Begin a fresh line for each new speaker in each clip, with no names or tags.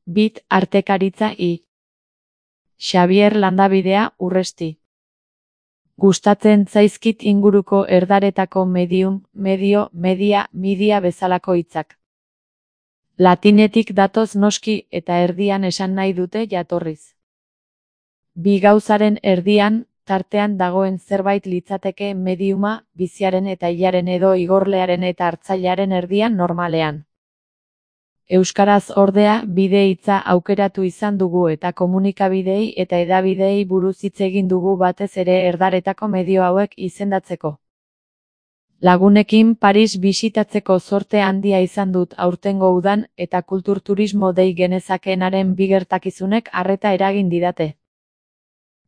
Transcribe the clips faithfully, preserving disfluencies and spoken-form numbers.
Bit artekaritza I. Xabier Landabidea Urresti. Gustatzen zaizkit inguruko erdaretako medium, medio, media, media bezalako hitzak. Latinetik datoz noski eta erdian esan nahi dute jatorriz. Bi gauzaren erdian, tartean dagoen zerbait litzateke mediuma, biziaren eta hilaren edo igorlearen eta hartzailearen erdian normalean. Euskaraz ordea, bide hitza aukeratu izan dugu eta komunikabideei eta hedabideei buruz hitz egin dugu batez ere erdaretako medio hauek izendatzeko. Lagunekin Paris bisitatzeko zorte handia izan dut aurtengo udan eta kulturturismo dei genezakeenaren bi gertakizunek arreta eragin didate.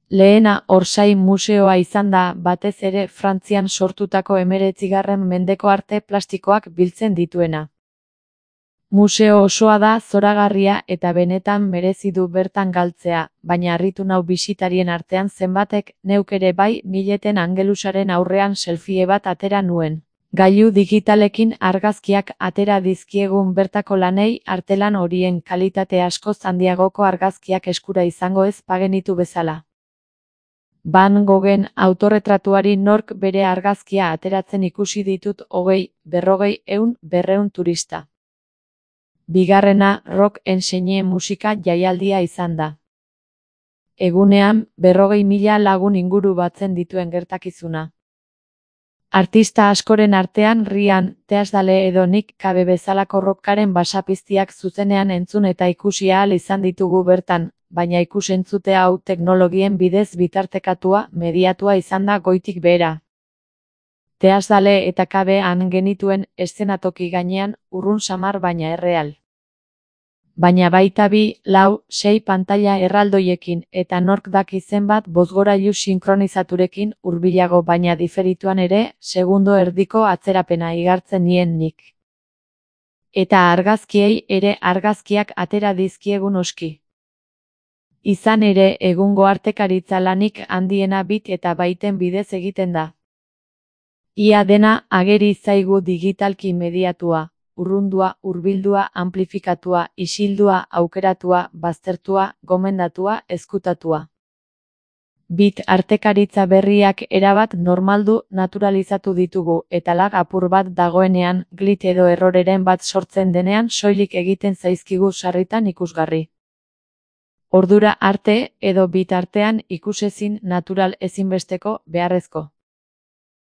Lehena Orsay museoa izan da batez ere Frantzian sortutako hemeretzigarren mendeko arte plastikoak biltzen dituena. Museo osoa da zoragarria eta benetan merezi du bertan galtzea, baina harritu nau bisitarien artean zenbatek, neuk ere bai, mileten angelusaren aurrean selfie bat atera nuen. Gailu digitalekin argazkiak atera dizkiegun bertako lanei artelan horien kalitate askoz handiagoko argazkiak eskura izango ez bagenitu bezala. Van Goghen autorretratuari nork bere argazkia ateratzen ikusi ditut hogei, berrogei, ehun, berrehun turista. Bigarrena rock enseñe musika jaialdia izan da. Egunean, berrogei mila lagun inguru batzen dituen gertakizuna. Artista askoren artean Rian, Teasdale edo Nick Cave bezalako rockaren basapiztiak zuzenean entzun eta ikusi ahal izan ditugu bertan, baina ikusentzute hau teknologien bidez bitartekatua, mediatua izan da goitik behera. Teasdale eta Cave han genituen eszenatoki gainean, urrun samar baina erreal. Baina baita bi, lau, sei pantaila erraldoiekin eta nork daki zenbat bozgorailu sinkronizaturekin hurbilago baina diferituan ere, segundo erdiko atzerapena igartzen nien nik. Eta argazkiei ere argazkiak atera dizkiegun oski. Izan ere, egungo artekaritza lanik handiena bit eta baiten bidez egiten da. Ia dena ageri zaigu digitalki mediatua, urrundua, hurbildua, amplifikatua, isildua, aukeratua, baztertua, gomendatua, ezkutatua. Bit artekaritza berriak erabat normaldu naturalizatu ditugu eta lag apur bat dagoenean, glit edo erroreren bat sortzen denean soilik egiten zaizkigu sarritan ikusgarri. Ordura arte edo bit artean ikusezin natural ezinbesteko beharrezko.